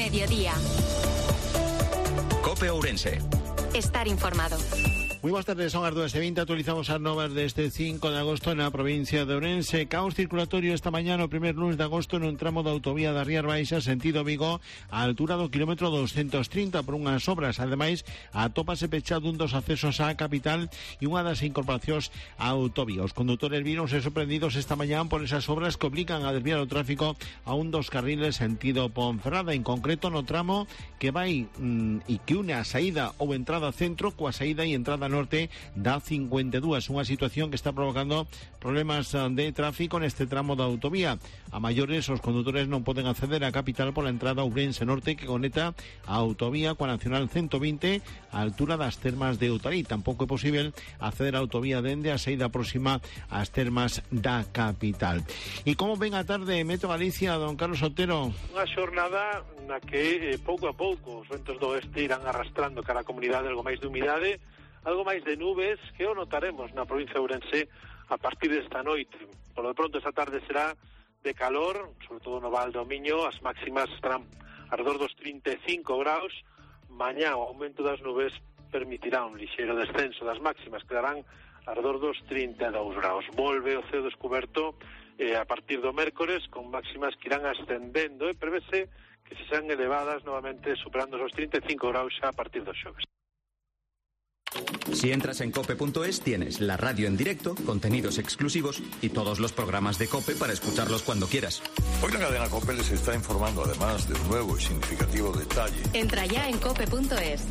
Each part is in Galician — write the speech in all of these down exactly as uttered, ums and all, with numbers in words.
mediodía. COPE Ourense. Estar informado. Muy buenas tardes, son as dúas e vinte, actualizamos as novas deste cinco de agosto na provincia de Ourense. Caos circulatorio esta mañá no primer lunes de agosto nun tramo da autovía da Rías Baixas, sentido Vigo, á altura do kilómetro doscientos trinta por unhas obras. Ademais, atópase pechado un dos accesos á capital e unha das incorporacións á autovía. Os condutores víronse sorprendidos esta mañá por esas obras que obligan a desviar o tráfico a un dos carriles sentido Ponferrada, en concreto no tramo que vai mmm, e que une a saída ou entrada centro coa saída e entrada norte da cincuenta e dúas, unha situación que está provocando problemas de tráfico neste tramo da autovía. A maiores, os condutores non poden acceder á capital pola entrada Ourense Norte que conecta a autovía coa Nacional ciento vinte á altura das termas de Otarí. Tampouco é posible acceder á autovía dende a saída próxima ás termas da capital. E como ven a tarde Meteo Galicia, don Carlos Otero? Unha xornada na que eh, pouco a pouco os ventos do oeste irán arrastrando cara a comunidade algo máis de humidade, algo máis de nubes que o notaremos na provincia de Ourense a partir desta noite. Por lo pronto esta tarde será de calor, sobre todo no Val do Miño, as máximas estarán alrededor dos trinta e cinco graus. Mañá o aumento das nubes permitirá un lixeiro descenso das máximas, quedarán alrededor dos trinta e dous graus. Volve o ceo descoberto eh, a partir do mércores con máximas que irán ascendendo e prevese que se sean elevadas novamente superando os trinta e cinco graus xa a partir dos xoves. Si entras en cope punto es, tienes la radio en directo, contenidos exclusivos y todos los programas de COPE para escucharlos cuando quieras. Hoy la cadena COPE les está informando además de un nuevo y significativo detalle. Entra ya en cope punto es.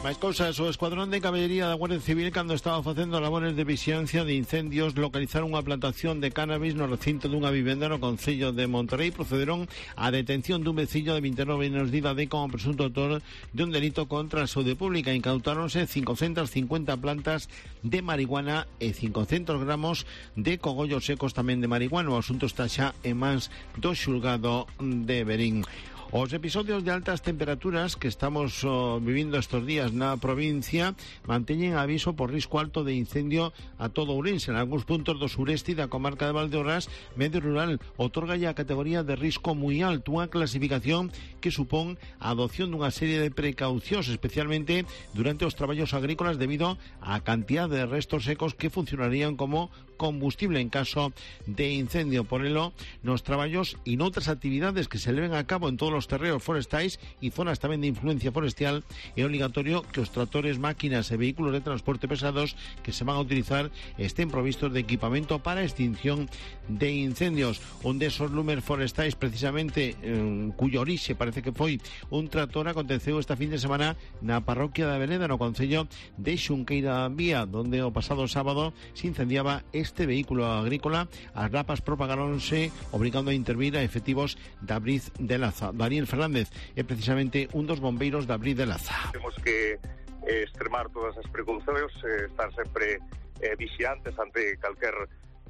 Máis cousas, o Escuadrón de Caballería da Guardia Civil, cando estaba facendo labores de vixilancia de incendios, localizaron unha plantación de cannabis no recinto dunha vivenda no concello de Monterrey. Procederon á detención dun veciño de vinte e nove anos de idade como presunto autor de un delito contra a saúde pública. Incautáronse cincocentas cincuenta plantas de marihuana e cincocentos gramos de cogollos secos tamén de marihuana. O asunto está xa en mans do xulgado de Verín. Os episodios de altas temperaturas que estamos oh, vivindo estos días na provincia manteñen aviso por risco alto de incendio a todo Ourense. En algúns puntos do sureste e da comarca de Valdeorras, medio rural otorgalle a categoría de risco moi alto, unha clasificación que supón a adopción dunha serie de precaucións, especialmente durante os traballos agrícolas debido á cantidad de restos secos que funcionarían como combustible en caso de incendio. Por elo, nos traballos e noutras actividades que se leven a cabo en todos os terreos forestais e zonas tamén de influencia forestal, é obligatorio que os tractores, máquinas e vehículos de transporte pesados que se van a utilizar estén provistos de equipamento para extinción de incendios. Un desos lumes forestais, precisamente, eh, cuyo orixe parece que foi un tractor, aconteceu esta fin de semana na parroquia da Vereda, no concello de Xunqueira da Vía, donde o pasado sábado se incendiaba este vehículo agrícola. As rapas propagáronse, obligando a intervir a efectivos da Briz de Laza. Daniel Fernández é precisamente un dos bombeiros da Briz de Laza. Temos que eh, extremar todas as precaucións, eh, estar sempre eh, vixiantes ante calquer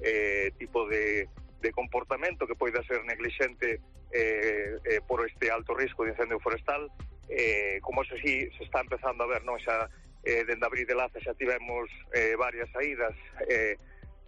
eh, tipo de, de comportamento que poida ser neglixente eh, eh, por este alto risco de incendio forestal. Eh, como eso sí se está empezando a ver, non? Xa eh, dende a Briz de Laza xa tivemos eh, varias saídas eh,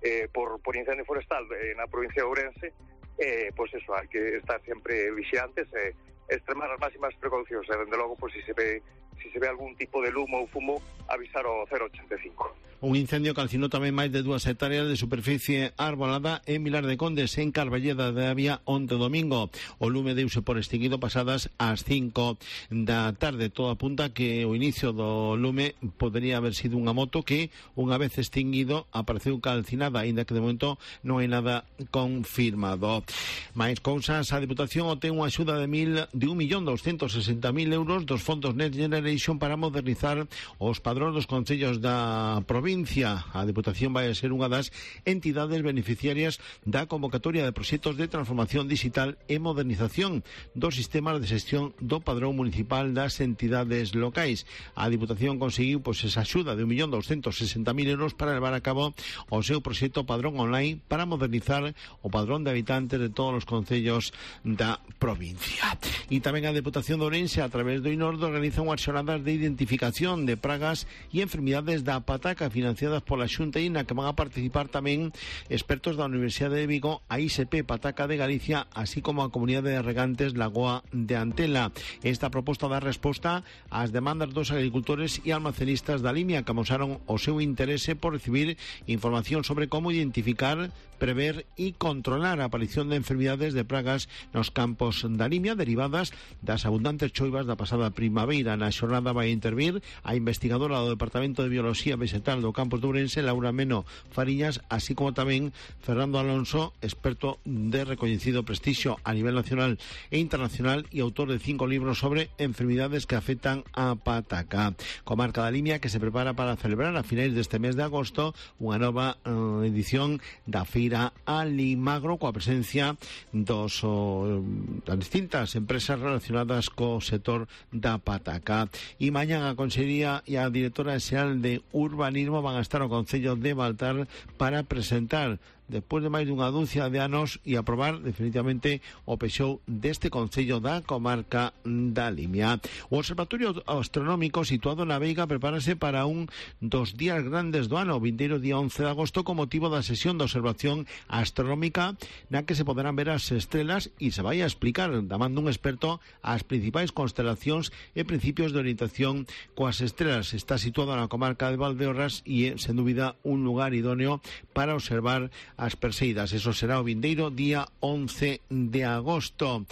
eh, por, por incendio forestal eh, na provincia de Ourense. Eh, pois eso, hai que estar sempre vixiantes e eh, extremar as máximas precaucións e, dende logo, pois, se se ve se se ve algún tipo de lumo ou fumo, avisar ao cero ochenta e cinco. Un incendio calcinó tamén máis de dúas hectáreas de superficie arbolada en Vilar de Condes, en Carballeda de Avia, onte domingo. O lume deuse por extinguido pasadas as cinco da tarde. Todo apunta que o inicio do lume podería haber sido unha moto que, unha vez extinguido, apareceu calcinada, aínda que de momento non hai nada confirmado. Máis cousas, a Deputación obtén unha axuda de mil de un millón doscientos sesenta mil euros dos fondos Next Generation para modernizar os padróns dos concellos da provincia. provincia. A Deputación vai a ser unha das entidades beneficiarias da convocatoria de proxectos de transformación digital e modernización dos sistemas de xestión do padrón municipal das entidades locais. A Deputación conseguiu pois, esa axuda de un millón doscientos sesenta mil euros para levar a cabo o seu proxecto Padrón Online para modernizar o padrón de habitantes de todos os concellos da provincia. E tamén a Deputación de Ourense, a través do INORDO, organiza unhas xornadas de identificación de pragas e enfermidades da pataca financiadas pola Xunta e na que van a participar tamén expertos da Universidade de Vigo, a I S P Pataca de Galicia, así como a Comunidade de Regantes Lagoa de Antela. Esta proposta dá resposta ás demandas dos agricultores e almacenistas da Limia, que amosaron o seu interese por recibir información sobre como identificar, prever e controlar a aparición de enfermidades de pragas nos campos da Limia derivadas das abundantes choivas da pasada primavera. Na xornada vai intervir a investigadora do Departamento de Biología Vegetal do campus de Ourense, Laura Meno Fariñas, así como tamén Fernando Alonso, experto de recoñecido prestixio a nivel nacional e internacional e autor de cinco libros sobre enfermidades que afectan a pataca. Comarca da Limia que se prepara para celebrar a finais deste mes de agosto unha nova uh, edición da Feira Alimagro coa presencia dos oh, das distintas empresas relacionadas co sector da pataca. E mañá a Consellería e a Directora Xeral de Urbanismo van a estar ao Concello de Baltar para presentar despois de máis dunha dúcia de anos e aprobar definitivamente o pexou deste concello da comarca da Limia. O Observatorio Astronómico situado na Veiga prepárase para un dos días grandes do ano, o vindeiro día once de agosto, con motivo da sesión de observación astronómica na que se poderán ver as estrelas e se vai a explicar, da man dun experto, as principais constelacións e principios de orientación coas estrelas. Está situado na comarca de Valdeorras e é, sen dúbida, un lugar idóneo para observar as Perseidas. Eso será o vindeiro día once de agosto.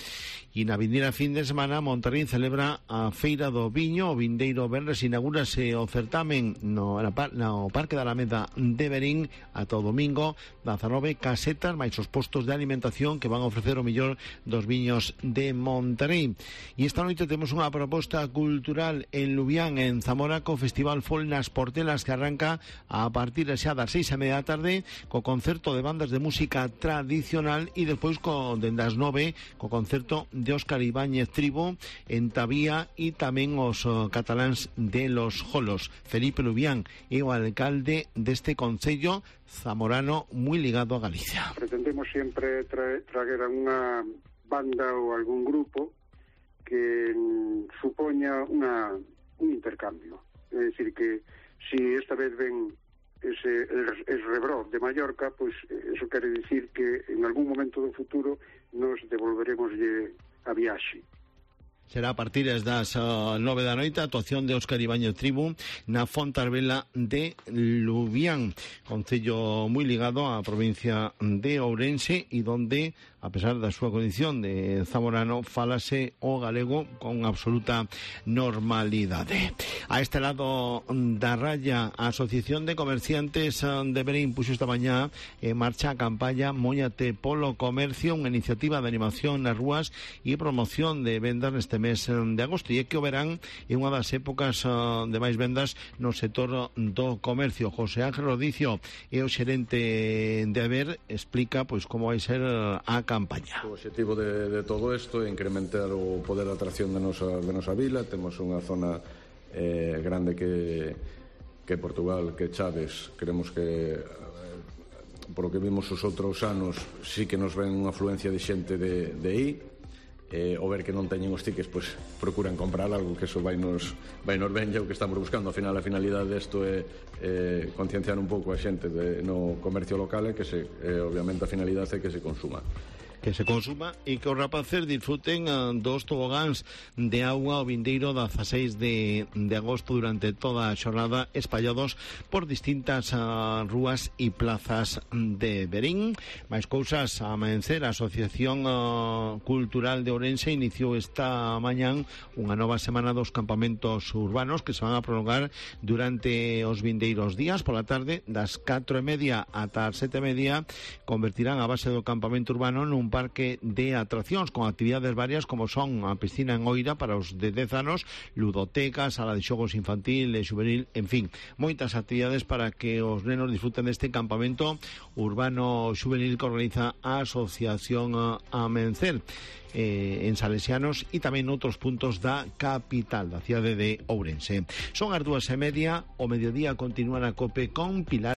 E na vindeira fin de semana Monterrín celebra a Feira do Viño. O vindeiro venres inaugúrase o certamen no, no Parque da Alameda de Verín ata o domingo, dezanove casetas máis os postos de alimentación que van a ofrecer o mellor dos viños de Monterrín. E esta noite temos unha proposta cultural en Lubián, en Zamora, co Festival Fol nas Portelas, que arranca a partir xa das seis e media da tarde co concerto de bandas de música tradicional e despois co dende as nove co concerto de Óscar Ibáñez Tribo en Tabía e tamén os uh, cataláns de Los Jolos. Felipe Lubián é o alcalde deste concello zamorano moi ligado a Galicia. Pretendemos sempre tra traer a unha banda ou algún grupo que mm, supoña unha, un intercambio. É dicir que si esta vez ven ese el, el Rebró de Mallorca, pois eso quere dicir que en algún momento do futuro nos devolveremos a viaxe. Será a partir das uh, nove da noite a actuación de Óscar Ibáñez Tribu na Fontarbela de Lubián, concello moi ligado á provincia de Ourense e donde, a pesar da súa condición de zamorano, falase o galego con absoluta normalidade. A este lado da raya, a Asociación de Comerciantes de Verín puxo esta mañá en marcha a campaña Móñate polo Comercio, unha iniciativa de animación nas rúas e promoción de vendas neste mes de agosto, e é que o verán é unha das épocas uh, de máis vendas no sector do comercio. José Ángel Rodicio é o xerente de Haber, explica pois como vai ser a campaña. O objetivo de, de todo isto é incrementar o poder de atracción de nosa, de nosa vila. Temos unha zona eh, grande que, que Portugal, que Chaves. Queremos que eh, por lo que vimos os outros anos sí que nos ven unha afluencia de xente de, de aí. Eh, o ver que non teñen os tickets, pois procuran comprar algo, que eso vai nos, vai nos ben, o que estamos buscando. Ao final, a finalidade desto é eh, concienciar un pouco a xente de, no comercio local e que se, eh, obviamente a finalidade é que se consuma. Que se consuma e que os rapaces disfruten uh, dos tobogáns de agua o vindeiro dezaseis de, de agosto durante toda a xornada, espallados por distintas uh, rúas e plazas de Verín. Mais cousas a amencer, a Asociación uh, Cultural de Ourense iniciou esta mañán unha nova semana dos campamentos urbanos que se van a prolongar durante os vindeiros días. Pola tarde, das catro e media ata as sete e media, convertirán a base do campamento urbano nun un parque de atraccións con actividades varias como son a piscina en Oira para os de dez anos, ludoteca, sala de xogos infantil e xuvenil, en fin, moitas actividades para que os nenos disfruten deste campamento urbano xuvenil que organiza a Asociación Amencer eh, en Salesianos e tamén noutros puntos da capital, da cidade de Ourense. Son as dúas e media, o mediodía continúa na COPE con Pilar.